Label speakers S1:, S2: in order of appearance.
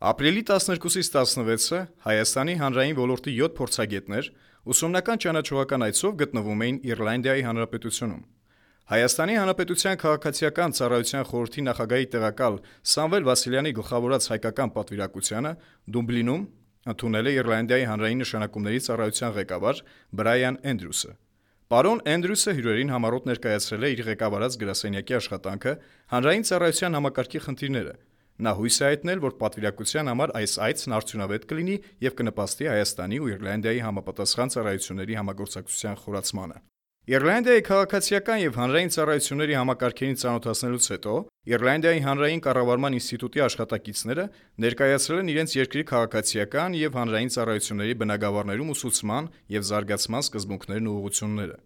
S1: Ապրիլի 12-ից 16-ը Հայաստանի հանրային ոլորտի 7 փորձագետներ ուսումնական ճանաչողական այցով գտնվում էին Իռլանդիայի Հանրապետությունում։ Հայաստանի Հանրապետության քաղաքացիական ծառայության խորհրդի նախագահի տեղակալ Սամվել Վասիլյանի գլխավորած հայկական պատվիրակությանը Դուբլինում ընդունել է Իռլանդիայի հանրային նշանակումների ծառայության ղեկավար Բրայան Էնդրյուսը։ Պարոն Էնդրյուսը հյուրերին համառոտ ներկայացրել է իր ղեկավարած գրասենյակի աշխատանքը, հանրային ծառայության համակարգի խնդիրները։ Նա հույս է հայտնել, որ պատվիրակության համար այս այցն արդյունավետ կլինի եւ կնպաստի Հայաստանի ու Իռլանդիայի համապատասխան ծառայությունների համագործակցության խորացմանը։ Իռլանդիայի քաղաքացիական եւ հանրային ծառայությունների համակարգերին ծանոթացնելուց հետո Իռլանդիայի հանրային կառավարման ինստիտուտի աշխատակիցները ներկայացրել են իրենց երկրի քաղաքացիական եւ հանրային ծառայությունների բնագավառներում ուսուցման եւ զարգացման սկզբունքներն ու ուղղությունները։